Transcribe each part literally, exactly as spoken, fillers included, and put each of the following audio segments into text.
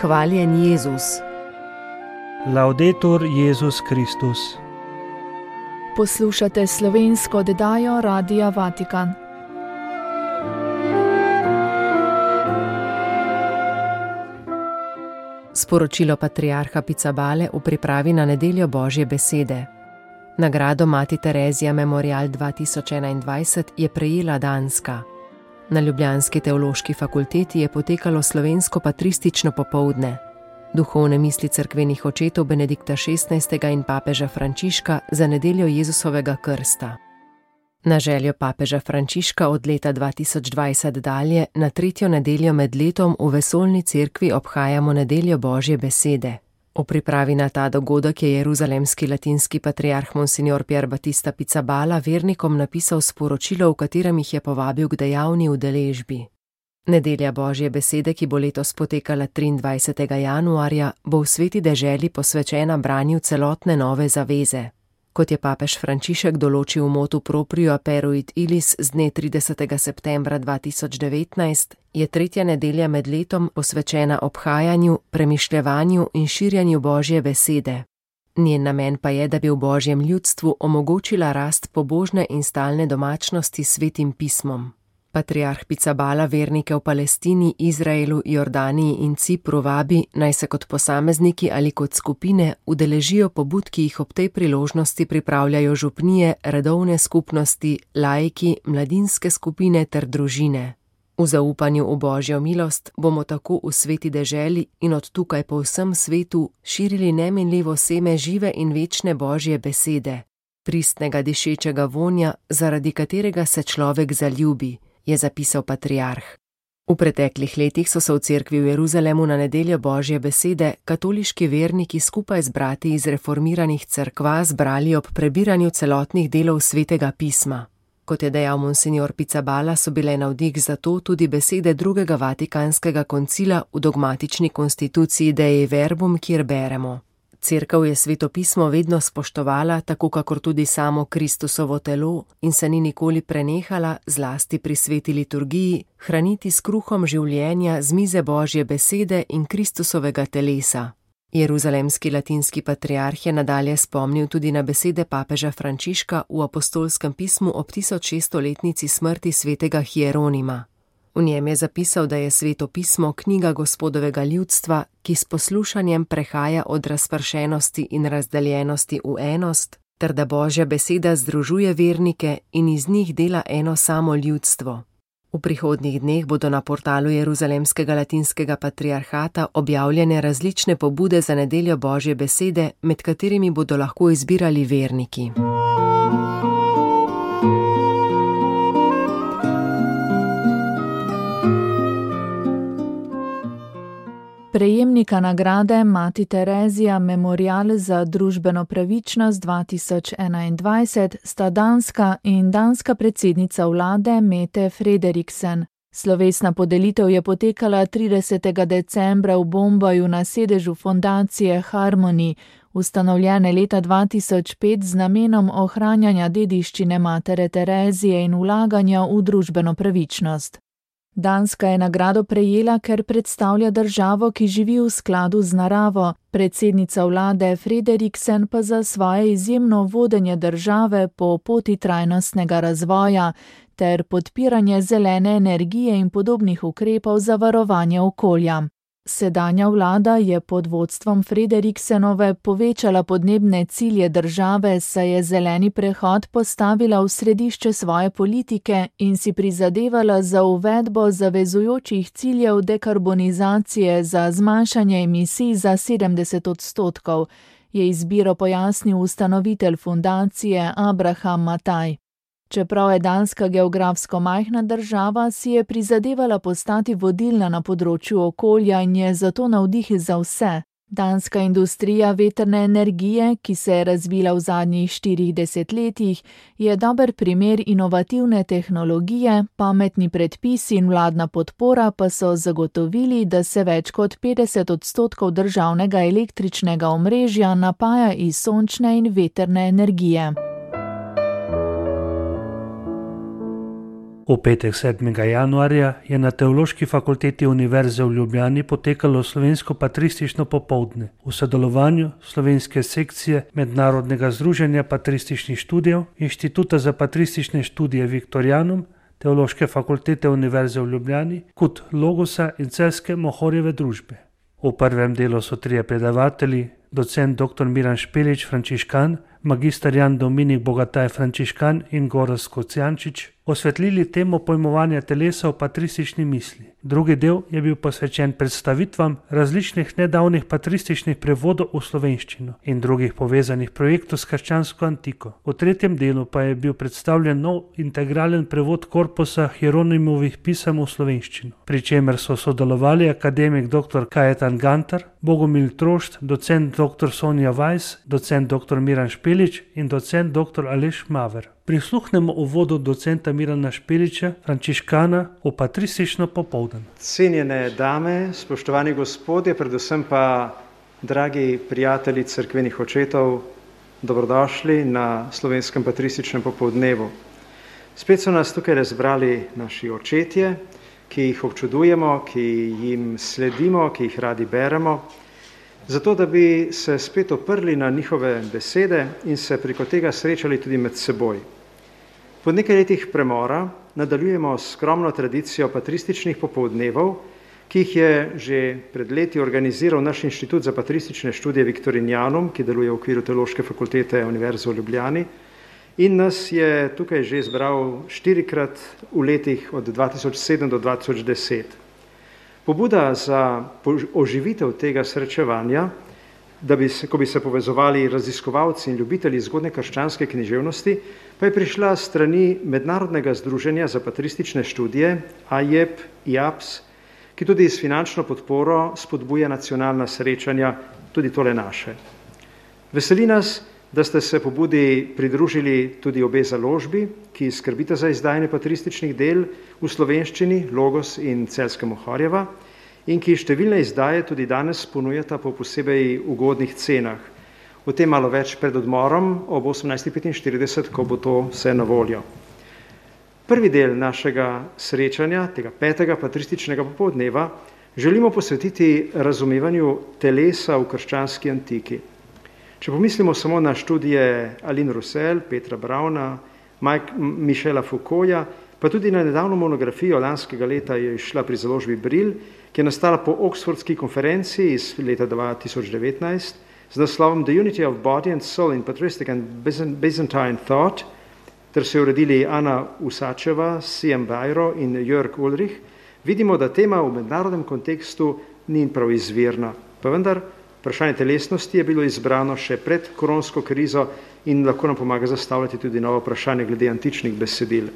Hvaljen Jezus. Laudetur Jezus Kristus. Poslušate slovensko oddajo Radia Vatikan. Sporočilo patriarha Pizzabale v pripravi na nedeljo Božje besede. Nagrado Mati Terezija Memorial dva tisoč enaindvajset je prejela Danska. Na ljubljanski teološki fakulteti je potekalo slovensko patristično popoldne. Duhovne misli cerkvenih očetov Benedikta šestnajstega in papeža Frančiška za nedeljo Jezusovega krsta. Na željo papeža Frančiška od leta dva tisoč dvajset dalje na tretjo nedeljo med letom v vesoljni cerkvi obhajamo nedeljo Božje besede. V pripravi na ta dogodek je jeruzalemski latinski patriarh Monsignor Pier Battista Pizzabala vernikom napisal sporočilo, v katerem jih je povabil k dejavni udeležbi. Nedelja Božje besede, ki bo letos potekala triindvajsetega januarja, bo v sveti deželi posvečena branju celotne nove zaveze. Kot je papež Frančišek določil v motu proprio aperuit illis z dne tridesetega septembra dva tisoč devetnajst, je tretja nedelja med letom posvečena obhajanju, premišljevanju in širjanju Božje besede. Njen namen pa je, da bi v Božjem ljudstvu omogočila rast pobožne in stalne domačnosti s svetim pismom. Patriarh Pizzabala vernike v Palestini, Izraelu, Jordaniji in Cipru vabi, naj se kot posamezniki ali kot skupine udeležijo pobud, ki jih ob tej priložnosti pripravljajo župnije, redovne skupnosti, laiki, mladinske skupine ter družine. V zaupanju v Božjo milost bomo tako v sveti deželi in od tukaj po vsem svetu širili neminljivo seme žive in večne Božje besede, pristnega dišečega vonja, zaradi katerega se človek zaljubi, je zapisal patriarh. V preteklih letih so se v cerkvi v Jeruzalemu na nedeljo Božje besede katoliški verniki skupaj z brati iz reformiranih cerkva zbrali ob prebiranju celotnih delov svetega pisma. Kot je dejal Monsignor Pizzabala, so bile navdih za to tudi besede drugega vatikanskega koncila v dogmatični konstituciji Dei Verbum, kjer beremo: Cerkev je sveto pismo vedno spoštovala, tako kakor tudi samo Kristusovo telo, in se ni nikoli prenehala, zlasti pri sveti liturgiji, hraniti s kruhom življenja z mize Božje besede in Kristusovega telesa. Jeruzalemski latinski patriarh je nadalje spomnil tudi na besede papeža Frančiška v apostolskem pismu ob tisočšeststoletnici smrti svetega Hieronima. V njem je zapisal, da je sveto pismo knjiga Gospodovega ljudstva, ki s poslušanjem prehaja od razpršenosti in razdeljenosti v enost, ter da Božja beseda združuje vernike in iz njih dela eno samo ljudstvo. V prihodnjih dneh bodo na portalu Jeruzalemskega latinskega patriarhata objavljene različne pobude za nedeljo Božje besede, med katerimi bodo lahko izbirali verniki. Prejemnika nagrade Mati Terezija Memorial za družbeno pravičnost dva tisoč enaindvajset sta danska in danska predsednica vlade Mette Frederiksen. Slovesna podelitev je potekala tridesetega decembra v Bombaju na sedežu fondacije Harmony, ustanovljene leta dva tisoč pet z namenom ohranjanja dediščine matere Terezije in vlaganja v družbeno pravičnost. Danska je nagrado prejela, ker predstavlja državo, ki živi v skladu z naravo, predsednica vlade Frederiksen pa za svoje izjemno vodenje države po poti trajnostnega razvoja ter podpiranje zelene energije in podobnih ukrepov za varovanje okolja. Sedanja vlada je pod vodstvom Frederiksenove povečala podnebne cilje države, saj je zeleni prehod postavila v središče svoje politike in si prizadevala za uvedbo zavezujočih ciljev dekarbonizacije za zmanjšanje emisij za sedemdeset odstotkov, je izbiro pojasnil ustanovitelj fundacije Abraham Mataj. Čeprav je Danska geografsko majhna država, si je prizadevala postati vodilna na področju okolja in je zato navdih za vse. Danska industrija vetrne energije, ki se je razvila v zadnjih štirih desetletjih, je dober primer inovativne tehnologije, pametni predpisi in vladna podpora pa so zagotovili, da se več kot petdeset odstotkov državnega električnega omrežja napaja iz sončne in vetrne energije. V petek sedmega januarja je na Teološki fakulteti Univerze v Ljubljani potekalo slovensko patristično popoldne v sodelovanju slovenske sekcije Mednarodnega združenja patrističnih študijev, Inštituta za patristične študije Viktorijanum, Teološke fakultete Univerze v Ljubljani, Kut Logosa in Celjske Mohorjeve družbe. V prvem delu so trije predavatelji, docent doktor Miran Špelič, frančiškan, magister Jan Dominik Bogataj, frančiškan in Gorazd Kocijančič, osvetlili temo pojmovanja telesa v patristični misli. Drugi del je bil posvečen predstavitvam različnih nedavnih patrističnih prevodov v slovenščino in drugih povezanih projektov s krščansko antiko. V tretjem delu pa je bil predstavljen nov integralen prevod korpusa Hieronimovih pisem v slovenščino, pri čemer so sodelovali akademik doktor Kajetan Gantar, Bogomil Trošt, docent doktor Sonja Vajs, docent doktor Miran Špelič in docent doktor Aleš Maver. Prisluhnemo uvodu docenta Mirana Špeliča, frančiškana, v patristično popoldan. Cenjene dame, spoštovani gospodje, predvsem pa dragi prijatelji cerkvenih očetov, dobrodošli na slovenskem patrističnem popoldnevu. Spet so nas tukaj razbrali naši očetje, ki jih občudujemo, ki jim sledimo, ki jih radi beremo, zato da bi se spet oprli na njihove besede in se preko tega srečali tudi med seboj. Po nekaj letih premora nadaljujemo s skromno tradicijo patrističnih popoldnevov, ki jih je že pred leti organiziral naš Inštitut za patristične študije Viktorijanum, ki deluje v okviru Teološke fakultete Univerze v Ljubljani, in nas je tukaj že zbral štirikrat v letih od dva tisoč sedem do dva tisoč deset. Pobuda za oživitev tega srečevanja, da bi se, ko bi se povezovali raziskovalci in ljubitelji zgodne krščanske književnosti, pa je prišla s strani Mednarodnega združenja za patristične študije, A J E P, I A P S, ki tudi s finančno podporo spodbuja nacionalna srečanja, tudi tole naše. Veseli nas, da ste se pobudi pridružili tudi obe založbi, ki skrbita za izdajanje patrističnih del v slovenščini, Logos in Celjska Mohorjeva, in ki številne izdaje tudi danes ponujata po posebej ugodnih cenah. O tem malo več pred odmorom ob osemnajst petinštirideset, ko bo to vse na voljo. Prvi del našega srečanja, tega petega patrističnega popoldneva, želimo posvetiti razumevanju telesa v krščanski antiki. Če pomislimo samo na študije Aline Roussel, Petra Brauna, Michela Foucaulta, pa tudi na nedavno monografijo lanskega leta je izšla pri založbi Brill, ki je nastala po Oxfordski konferenci iz leta dva tisoč devetnajst z naslovom The Unity of Body and Soul in Patristic and Byzantine Thought, ter se uredili Ana Usačeva, C M Bajro in Jörg Ulrich, vidimo, da tema v mednarodnem kontekstu ni prav izvirna, pa vendar vprašanje telesnosti je bilo izbrano še pred koronsko krizo in lahko nam pomaga zastavljati tudi novo vprašanje glede antičnih besedil.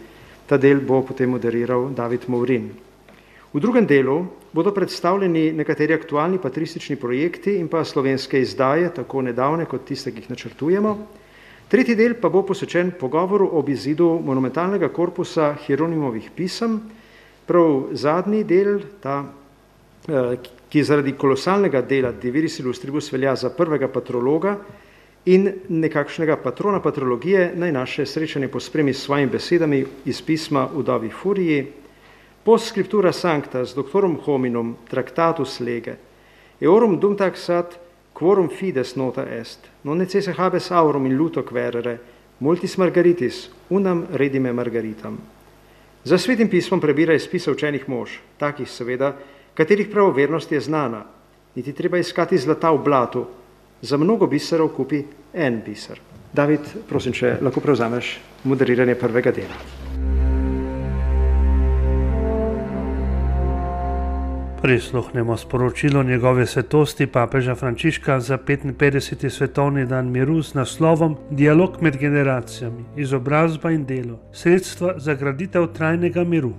Ta del bo potem moderiral David Movrin. V drugem delu bodo predstavljeni nekateri aktualni patristični projekti in pa slovenske izdaje, tako nedavne kot tiste, ki jih načrtujemo. Tretji del pa bo posvečen pogovoru ob izidu monumentalnega korpusa Hieronimovih pisem. Prav zadnji del, ta, ki zaradi kolosalnega dela De Viris Illustribus velja za prvega patrologa in nekakšnega patrona patrologije, naj naše srečanje pospremi s svojimi besedami iz pisma Vdovi Furiji. Post scriptura sancta s doctorum hominum tractatus lege, eorum dum taxat quorum fides nota est, non necesse habes aurum in luto querere, multis margaritis, unam redime margaritam. Za svetim pismom prebira iz spisa učenih mož, takih seveda, katerih pravovernost je znana, niti treba iskati zlata v blatu, za mnogo biserov kupi en biser. David, prosim, če lahko prevzameš moderiranje prvega dela. Prisluhnemo sporočilo njegove svetosti papeža Frančiška za petinpetdeseti svetovni dan miru z naslovom Dialog med generacijami, izobrazba in delo, sredstva za graditev trajnega miru.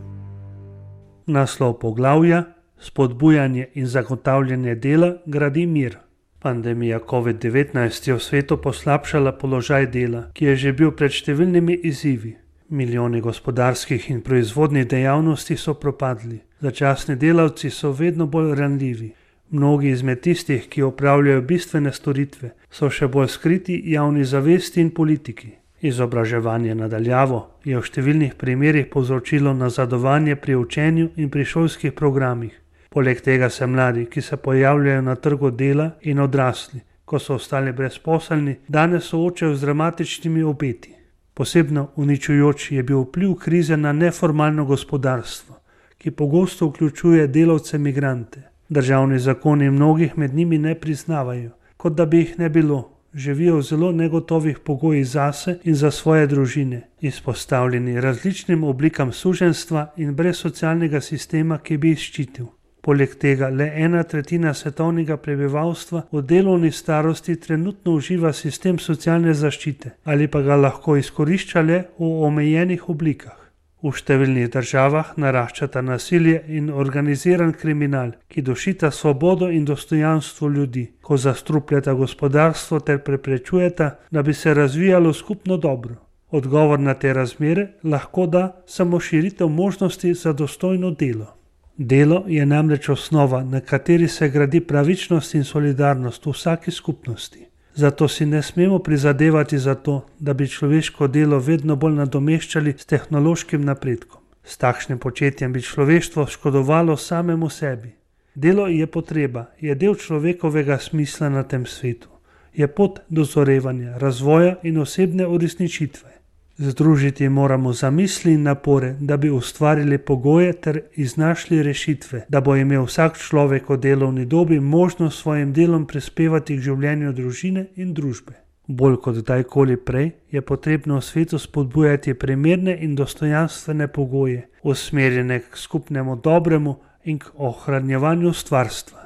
Naslov poglavja: Spodbujanje in zagotavljanje dela gradi mir. Pandemija covid devetnajst je v svetu poslabšala položaj dela, ki je že bil pred številnimi izzivi. Milijoni gospodarskih in proizvodnih dejavnosti so propadli. Začasni delavci so vedno bolj ranljivi. Mnogi izmed tistih, ki opravljajo bistvene storitve, so še bolj skriti javni zavesti in politiki. Izobraževanje nadaljavo je v številnih primerih povzročilo nazadovanje pri učenju in pri šolskih programih. Poleg tega se mladi, ki se pojavljajo na trgu dela, in odrasli, ko so ostali brezposelni, danes soočajo z dramatičnimi obeti. Posebno uničujoč je bil vpliv krize na neformalno gospodarstvo, ki pogosto vključuje delavce migrante. Državni zakoni mnogih med njimi ne priznavajo, kot da bi jih ne bilo. Živijo v zelo negotovih pogojih zase in za svoje družine, izpostavljeni različnim oblikam suženjstva in brez socialnega sistema, ki bi jih ščitil. Poleg tega le ena tretjina svetovnega prebivalstva v delovni starosti trenutno uživa sistem socialne zaščite ali pa ga lahko izkorišča le v omejenih oblikah. V številnih državah naraščata nasilje in organiziran kriminal, ki dušita svobodo in dostojanstvo ljudi, ko zastrupljata gospodarstvo ter preprečujeta, da bi se razvijalo skupno dobro. Odgovor na te razmere lahko da samo širitev možnosti za dostojno delo. Delo je namreč osnova, na kateri se gradi pravičnost in solidarnost v vsaki skupnosti. Zato si ne smemo prizadevati za to, da bi človeško delo vedno bolj nadomeščali s tehnološkim napredkom. S takšnim početjem bi človeštvo škodovalo samemu sebi. Delo je potreba, je del človekovega smisla na tem svetu. Je pot dozorevanja, razvoja in osebne uresničitve. Združiti moramo zamisli in napore, da bi ustvarili pogoje ter iznašli rešitve, da bo imel vsak človek v delovni dobi možnost svojim delom prispevati k življenju družine in družbe. Bolj kot kdajkoli prej je potrebno v svetu spodbujati primerne in dostojanstvene pogoje, usmerjene k skupnemu dobremu in k ohranjevanju stvarstva.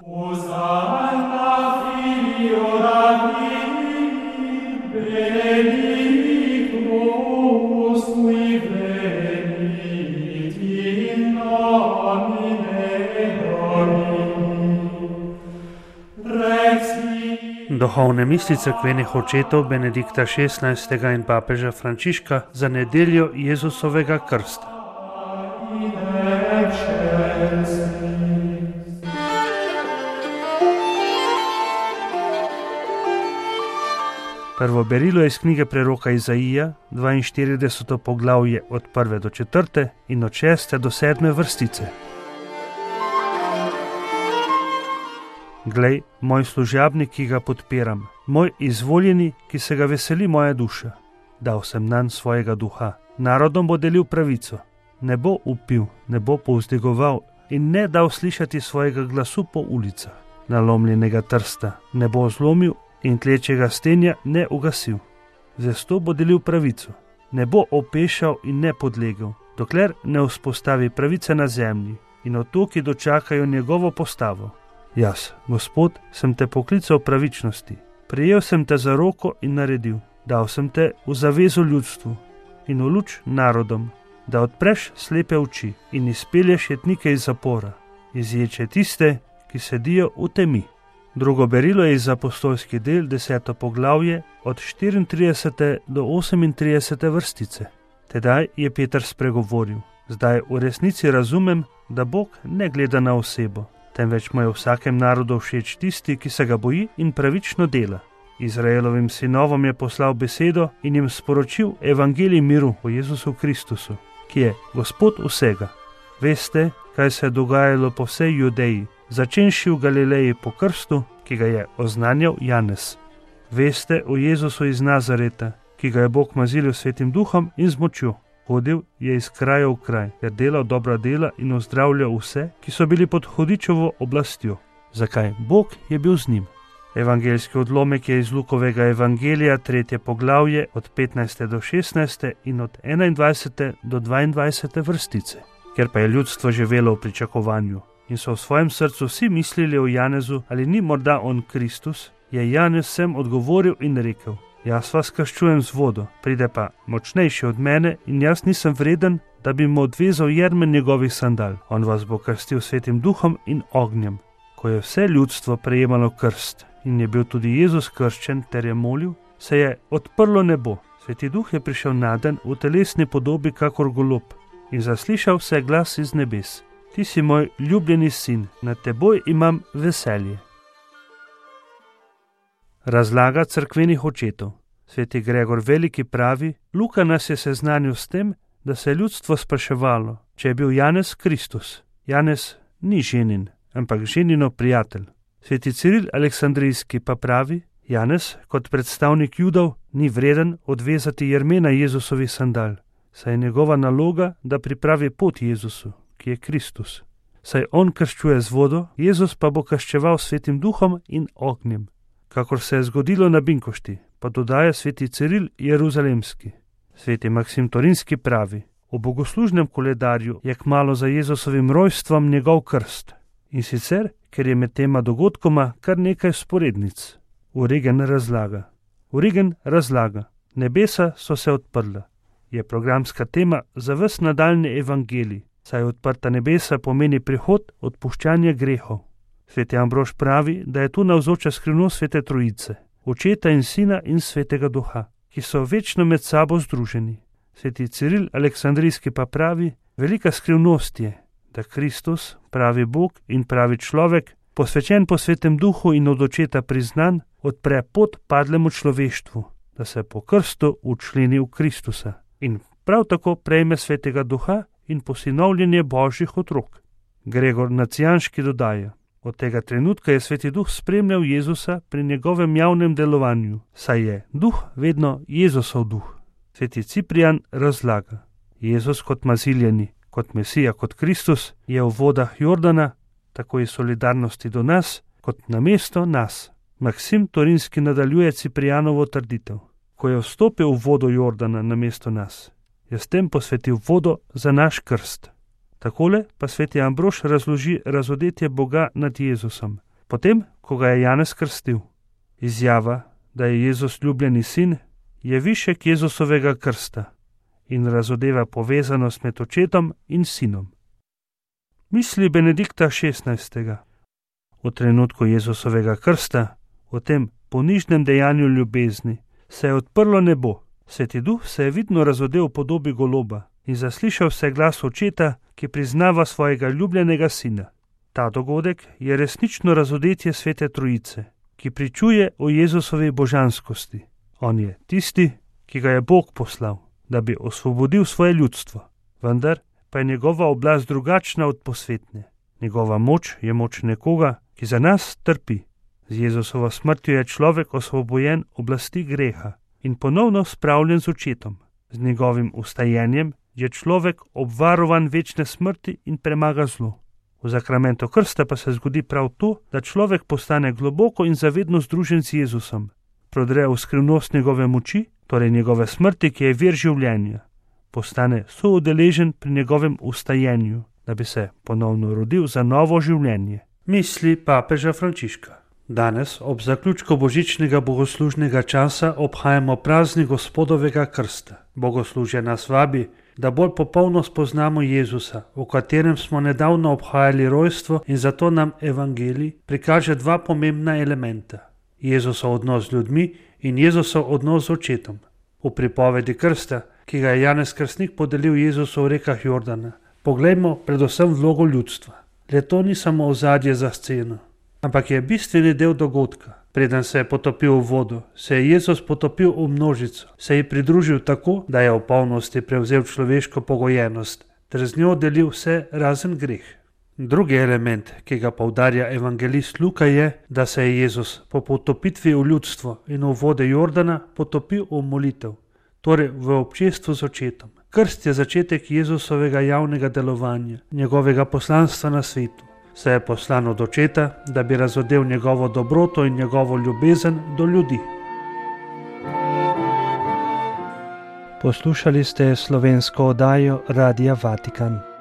Duhovne misli cerkvenih očetov Benedikta šestnajstega in papeža Frančiška za nedeljo Jezusovega krsta. Prvo berilo je iz knjige preroka Izaija, dvainštirideseto poglavje od prve do četrte in od šeste do sedme vrstice. Glej, moj služabnik, ki ga podpiram, moj izvoljeni, ki se ga veseli moja duša. Dal sem nanj svojega duha. Narodom bo delil pravico. Ne bo upil, ne bo povzdigoval in ne dal slišati svojega glasu po ulicah. Nalomljenega trsta ne bo zlomil in tlečega stenja ne ugasil. Zesto bo delil pravico. Ne bo opešal in ne podlegel, dokler ne vzpostavi pravice na zemlji in otoki dočakajo njegovo postavo. Jaz, Gospod, sem te poklical pravičnosti, prijel sem te za roko in naredil, dal sem te v zavezo ljudstvu in v luč narodom, da odpreš slepe oči in izpelješ jetnike iz zapora, izječe tiste, ki sedijo v temi. Drugo berilo je iz apostolskih del, deseto poglavje, od štiriintridesete do osemintridesete vrstice. Tedaj je Peter spregovoril, zdaj v resnici razumem, da Bog ne gleda na osebo, temveč mu je vsakem narodu všeč tisti, ki se ga boji in pravično dela. Izraelovim sinovom je poslal besedo in jim sporočil evangelij miru o Jezusu Kristusu, ki je Gospod vsega. Veste, kaj se je dogajalo po vsej Judeji, začenši v Galileji po krstu, ki ga je oznanjal Janez. Veste o Jezusu iz Nazareta, ki ga je Bog mazilil svetim duhom in z močjo. Hodil je iz kraja v kraj, ter delal dobra dela in ozdravljal vse, ki so bili pod hudičevo oblastjo. Zakaj? Bog je bil z njim. Evangeljski odlomek je iz Lukovega evangelija, tretje poglavje, od petnajste do šestnajste in od enaindvajsete do dvaindvajsete vrstice. Ker pa je ljudstvo živelo v pričakovanju in so v svojem srcu vsi mislili o Janezu, ali ni morda on Kristus, je Janez vsem odgovoril in rekel: Jaz vas krščujem z vodo, pride pa močnejši od mene in jaz nisem vreden, da bi mu odvezal jermen njegovih sandal. On vas bo krstil svetim duhom in ognjem. Ko je vse ljudstvo prejemalo krst in je bil tudi Jezus krščen ter je molil, se je odprlo nebo. Sveti duh je prišel naden v telesni podobi kakor golob in zaslišal se glas iz nebes: Ti si moj ljubljeni sin, nad teboj imam veselje. Razlaga cerkvenih očetov. Sveti Gregor Veliki pravi, Luka nas je seznanil s tem, da se je ljudstvo spraševalo, če je bil Janez Kristus. Janez ni ženin, ampak ženino prijatelj. Sveti Ciril Aleksandrijski pa pravi, Janez kot predstavnik Judov ni vreden odvezati jermena Jezusovih sandal, saj je njegova naloga, da pripravi pot Jezusu, ki je Kristus. Saj on krščuje z vodo, Jezus pa bo krščeval svetim duhom in ognjem. Kakor se je zgodilo na Binkošti, pa dodaja sveti Ciril Jeruzalemski. Sveti Maksim Torinski pravi, v bogoslužnem koledarju je kmalu za Jezusovim rojstvom njegov krst. In sicer, ker je med tema dogodkoma kar nekaj sporednic. Origen razlaga. Origen razlaga. Nebesa so se odprla. Je programska tema za ves nadaljnji evangelij, saj odprta nebesa pomeni prihod odpuščanja grehov. Sveti Ambrož pravi, da je tu navzoča skrivnost Svete Trojice, Očeta in Sina in Svetega Duha, ki so večno med sabo združeni. Sveti Ciril Aleksandrijski pa pravi, velika skrivnost je, da Kristus, pravi Bog in pravi človek, posvečen po Svetem Duhu in od Očeta priznan, odpre pot padlemu človeštvu, da se po krstu učleni v Kristusa in prav tako prejme Svetega Duha in posinovljenje Božjih otrok. Gregor Nacijanški dodaja, od tega trenutka je Sveti Duh spremljal Jezusa pri njegovem javnem delovanju, saj je Duh vedno Jezusov duh. Sveti Ciprijan razlaga, Jezus kot maziljeni, kot Mesija, kot Kristus je v vodah Jordana, tako iz solidarnosti do nas, kot namesto nas. Maksim Torinski nadaljuje Ciprijanovo trditev. Ko je vstopil v vodo Jordana namesto nas, je s tem posvetil vodo za naš krst. Takole pa sveti Ambrož razloži razodetje Boga nad Jezusom, potem, ko ga je Janez krstil. Izjava, da je Jezus ljubljeni sin, je višek Jezusovega krsta in razodeva povezanost med očetom in sinom. Misli Benedikta šestnajstega. V trenutku Jezusovega krsta, v tem ponižnem dejanju ljubezni, se je odprlo nebo. Sveti Duh se je vidno razodel v podobi goloba in zaslišal se glas očeta, ki priznava svojega ljubljenega sina. Ta dogodek je resnično razodetje Svete Trojice, ki pričuje o Jezusovi božanskosti. On je tisti, ki ga je Bog poslal, da bi osvobodil svoje ljudstvo. Vendar pa je njegova oblast drugačna od posvetne. Njegova moč je moč nekoga, ki za nas trpi. Z Jezusovo smrtjo je človek osvobojen oblasti greha in ponovno spravljen z očetom. Z njegovim ustajenjem je človek obvarovan večne smrti in premaga zlo. V zakramentu krsta pa se zgodi prav to, da človek postane globoko in zavedno združen z Jezusom. Prodre v skrivnost njegove moči, torej njegove smrti, ki je vir življenja. Postane soudeležen pri njegovem ustajenju, da bi se ponovno rodil za novo življenje. Misli papeža Frančiška. Danes, ob zaključku božičnega bogoslužnega časa, obhajamo praznik Gospodovega krsta. Bogoslužje nas vabi, da bolj popolno spoznamo Jezusa, v katerem smo nedavno obhajali rojstvo, in zato nam evangelij prikaže dva pomembna elementa. Jezusov odnos z ljudmi in Jezusov odnos z očetom. V pripovedi krsta, ki ga je Janez Krstnik podelil Jezusu v rekah Jordana, poglejmo predvsem vlogo ljudstva. Le to ni samo ozadje za sceno, ampak je bistveni del dogodka. Preden se je potopil v vodo, se je Jezus potopil v množico, se je pridružil tako, da je v polnosti prevzel človeško pogojenost, ter z njo delil vse razen greh. Drugi element, ki ga poudarja evangelist Luka, je, da se je Jezus po potopitvi v ljudstvo in v vode Jordana potopil v molitev, torej v občestvu z očetom. Krst je začetek Jezusovega javnega delovanja, njegovega poslanstva na svetu. Se je poslan od očeta, da bi razodel njegovo dobroto in njegovo ljubezen do ljudi. Poslušali ste slovensko oddajo Radia Vatikan.